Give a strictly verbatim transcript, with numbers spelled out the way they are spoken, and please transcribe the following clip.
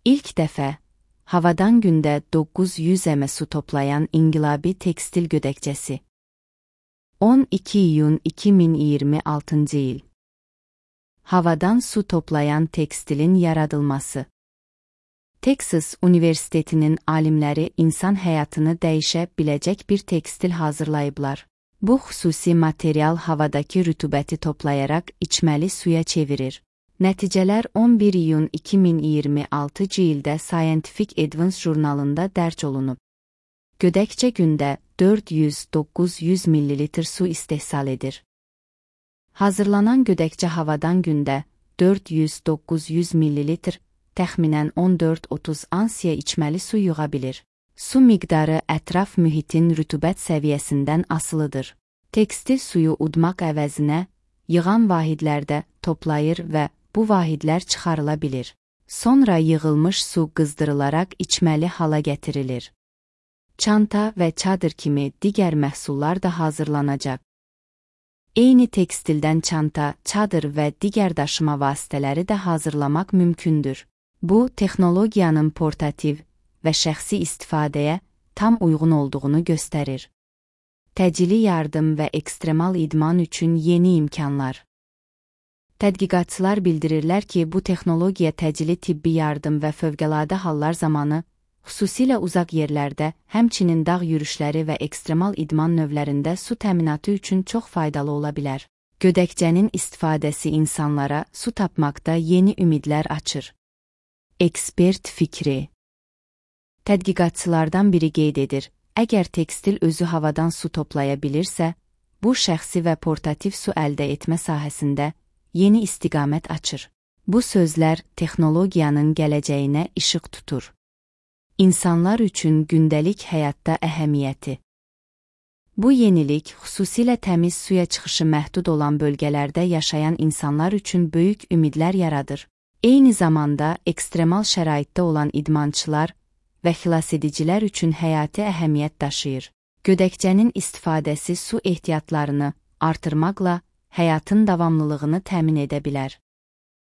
İlk dəfə, havadan gündə doqquz yüz əm su toplayan inqilabi tekstil gödəkçəsi. on iki iyun iki min iyirmi altıncı il. Havadan su toplayan tekstilin yaradılması. Texas Universitetinin alimləri insan həyatını dəyişə biləcək bir tekstil hazırlayıblar. Bu xüsusi material havadakı rütubəti toplayaraq içməli suya çevirir. Nəticələr on bir iyun iki min iyirmi altıncı ildə Scientific Advance jurnalında dərc olunub. Gödəkçə gündə dörd yüz doqquz yüz millilitr su istehsal edir. Hazırlanan gödəkçə havadan gündə dörd yüz doqquz yüz millilitr, təxminən on dörd otuz ansiya içməli su yığa bilir. Su miqdarı ətraf mühitin rütubət səviyyəsindən asılıdır. Tekstil suyu udmaq əvəzinə, yığan vahidlərdə toplayır və bu vahidlər çıxarıla bilir. Sonra yığılmış su qızdırılaraq içməli hala gətirilir. Çanta və çadır kimi digər məhsullar da hazırlanacaq. Eyni tekstildən çanta, çadır və digər daşıma vasitələri də hazırlamaq mümkündür. Bu, texnologiyanın portativ və şəxsi istifadəyə tam uyğun olduğunu göstərir. Təcili yardım və ekstremal idman üçün yeni imkanlar. Tədqiqatçılar bildirirlər ki, bu texnologiya təcili tibbi yardım və fövqəladə hallar zamanı, xüsusilə uzaq yerlərdə, həmçinin dağ yürüşləri və ekstremal idman növlərində su təminatı üçün çox faydalı ola bilər. Gödəkçənin istifadəsi insanlara su tapmaqda yeni ümidlər açır. Ekspert fikri. Tədqiqatçılardan biri qeyd edir, əgər tekstil özü havadan su toplaya bilirsə, bu şəxsi və portativ su əldə etmə sahəsində yeni istiqamət açır. Bu sözlər texnologiyanın gələcəyinə işıq tutur. İnsanlar üçün gündəlik həyatda əhəmiyyəti. Bu yenilik xüsusilə təmiz suya çıxışı məhdud olan bölgələrdə yaşayan insanlar üçün böyük ümidlər yaradır. Eyni zamanda ekstremal şəraitdə olan idmançılar və xilasedicilər üçün həyati əhəmiyyət daşıyır. Gödəkçənin istifadəsi su ehtiyatlarını artırmaqla həyatın davamlılığını təmin edə bilər.